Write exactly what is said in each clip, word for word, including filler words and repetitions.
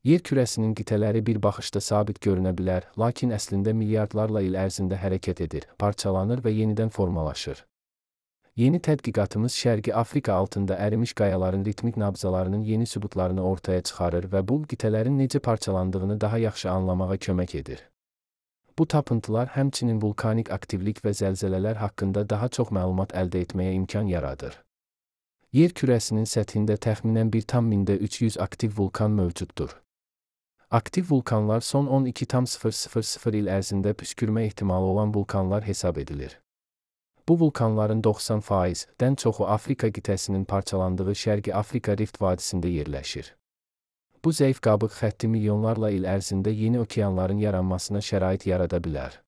Yer kürəsinin qitələri bir baxışda sabit görünə bilər, lakin əslində milyardlarla il ərzində hərəkət edir, parçalanır və yenidən formalaşır. Yeni tədqiqatımız Şərqi Afrika altında ərimiş qayaların ritmik nabzalarının yeni sübutlarını ortaya çıxarır və bu qitələrin necə parçalandığını daha yaxşı anlamağa kömək edir. Bu tapıntılar həmçinin vulkanik aktivlik və zəlzələlər haqqında daha çox məlumat əldə etməyə imkan yaradır. Yer kürəsinin səthində təxminən bir tam mində üç yüz aktiv vulkan mövcuddur. Aktiv vulkanlar son on iki min il ərzində püskürmə ehtimalı olan vulkanlar hesab edilir. Bu vulkanların doxsan faizdən çoxu Afrika qitəsinin parçalandığı Şərqi Afrika Rift vadisində yerləşir. Bu zəif qabıq xətti milyonlarla il ərzində yeni okeanların yaranmasına şərait yarada bilər.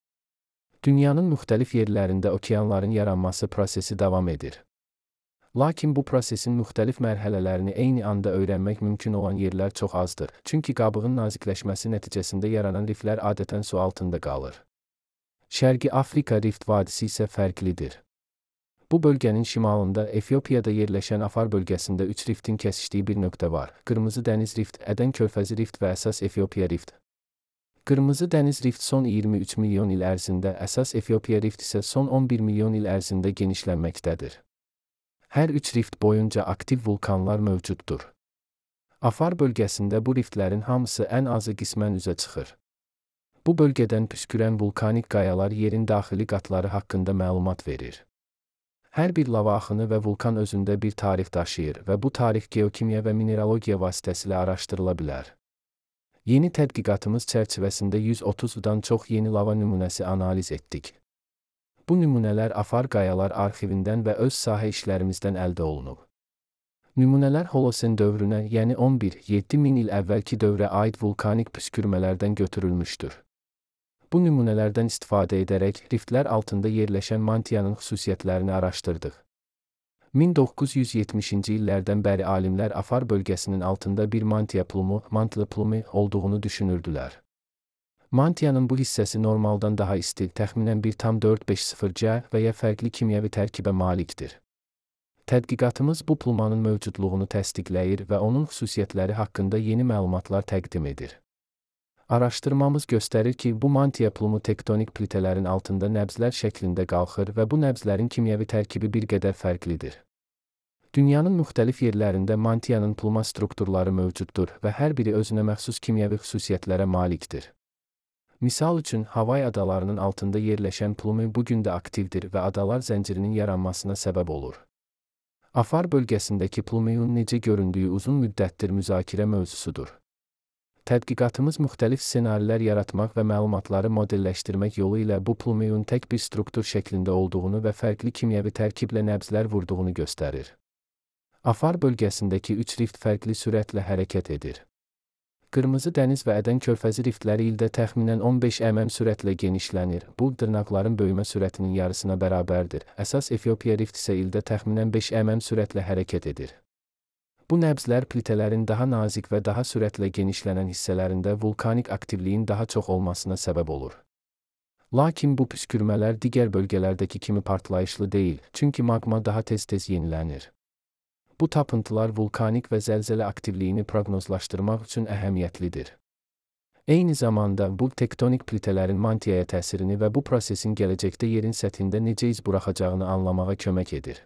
Dünyanın müxtəlif yerlərində okeanların yaranması prosesi davam edir. Lakin bu prosesin müxtəlif mərhələlərini eyni anda öyrənmək mümkün olan yerlər çox azdır, çünki qabığın nazikləşməsi nəticəsində yaranan riflər adətən su altında qalır. Şərqi Afrika Rift vadisi isə fərqlidir. Bu bölgənin şimalında Efiopiyada yerləşən Afar bölgəsində üç riftin kəsişdiyi bir nöqtə var. Qırmızı dəniz rift, Ədən körfəzi rift və əsas Efiopiya rift. Qırmızı dəniz rift son iyirmi üç milyon il ərzində, əsas Efiopiya rift isə son on bir milyon il ərzində genişlənməkdədir. Hər üç rift boyunca aktiv vulkanlar mövcuddur. Afar bölgəsində bu riftlərin hamısı ən azı qismən üzə çıxır. Bu bölgədən püskürən vulkanik qayalar yerin daxili qatları haqqında məlumat verir. Hər bir lava axını və vulkan özündə bir tarix daşıyır və bu tarix geokimya və mineralogiya vasitəsilə araşdırıla bilər. Yeni tədqiqatımız çərçivəsində yüz otuzdan çox yeni lava nümunəsi analiz etdik. Bu nümunələr Afar qayalar arxivindən və öz sahə işlərimizdən əldə olunub. Nümunələr Holosen dövrünə, yəni on bir yeddi min il əvvəlki dövrə aid vulkanik püskürmələrdən götürülmüşdür. Bu nümunələrdən istifadə edərək riftlər altında yerləşən mantiyanın xüsusiyyətlərini araşdırdıq. min doqquz yüz yetmişinci illərdən bəri alimlər Afar bölgəsinin altında bir mantiya plumu, mantlı plumu olduğunu düşünürdülər. Mantiyanın bu hissəsi normaldan daha isti, təxminən bir tam dörd beş sıfır C və ya fərqli kimyəvi tərkibə malikdir. Tədqiqatımız bu plumanın mövcudluğunu təsdiqləyir və onun xüsusiyyətləri haqqında yeni məlumatlar təqdim edir. Araşdırmamız göstərir ki, bu mantiya plumu tektonik plitələrin altında nəbzlər şəklində qalxır və bu nəbzlərin kimyəvi tərkibi bir qədər fərqlidir. Dünyanın müxtəlif yerlərində mantiyanın pluma strukturları mövcuddur və hər biri özünə məxsus kimyəvi xüsusiyyətlərə malikdir. Misal üçün, Havay adalarının altında yerləşən plumu bugün də aktivdir və adalar zəncirinin yaranmasına səbəb olur. Afar bölgəsindəki plumun necə göründüyü uzun müddətdir müzakirə mövzusudur. Tədqiqatımız müxtəlif ssenarilər yaratmaq və məlumatları modelləşdirmək yolu ilə bu plumun tək bir struktur şəklində olduğunu və fərqli kimyəvi tərkiblə nəbzlər vurduğunu göstərir. Afar bölgəsindəki üç rift fərqli sürətlə hərəkət edir. Qırmızı dəniz və Ədən körfəzi riftləri ildə təxminən on beş mm sürətlə genişlənir. Bu, dırnaqların böyümə sürətinin yarısına bərabərdir. Əsas Efiopiya rift isə ildə təxminən beş mm sürətlə hərəkət edir. Bu nəbzlər plitələrin daha nazik və daha sürətlə genişlənən hissələrində vulkanik aktivliyin daha çox olmasına səbəb olur. Lakin bu püskürmələr digər bölgələrdəki kimi partlayışlı deyil, çünki magma daha tez-tez yenilənir. Bu tapıntılar vulkanik və zəlzələ aktivliyini proqnozlaşdırmaq üçün əhəmiyyətlidir. Eyni zamanda bu tektonik plitələrin mantiyaya təsirini və bu prosesin gələcəkdə yerin səthində necə iz buraxacağını anlamağa kömək edir.